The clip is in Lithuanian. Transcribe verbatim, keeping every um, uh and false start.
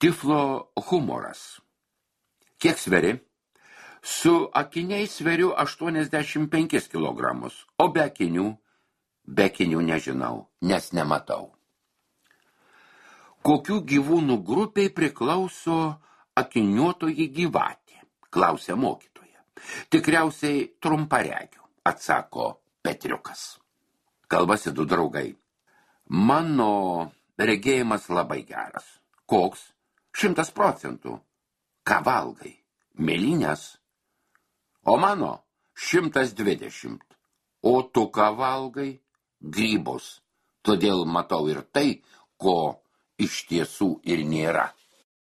Tiflo humoras. Kiek sveri? Su akiniais sveriu aštuoniasdešimt penkis kilogramus, o be akinių, be akinių nežinau, nes nematau. Kokių gyvūnų grupiai priklauso akiniuotoji gyvatė, klausia mokytoja. Tikriausiai trumparegių, atsako Petriukas. Kalbasi du draugai. Mano regėjimas labai geras. Koks? Šimtas procentų. Ką valgai? Mėlynės? O mano šimtas dvidešimt. O tu ką valgai? Grybus. Todėl matau ir tai, ko iš tiesų ir nėra.